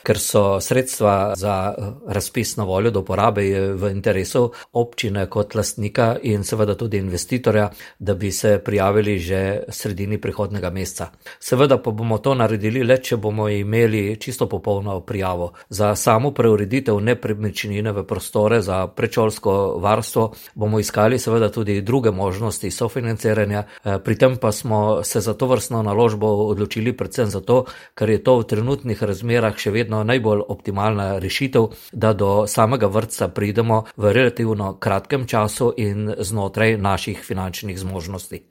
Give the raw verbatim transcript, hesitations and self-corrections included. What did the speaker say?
ker so sredstva za razpis na voljo do uporabe v interesu občine kot lastnika in seveda tudi investitorja, da bi se prijavili že sredini prihodnega meseca. Seveda pa bomo to naredili le, če bomo imeli čisto popolno prijavo. Za samo preureditev nepremičnine v prostore za predšolsko varstvo bomo iskali seveda tudi druge možnosti sofinanciranja, pri tem pa smo se za to vrstno naložbo odločili predvsem zato, ker je to v trenutnih razmerah še vedno najbolj optimalna rešitev, da do samega vrtca pridemo v relativno kratkem času in znotraj naših finančnih zmožnosti.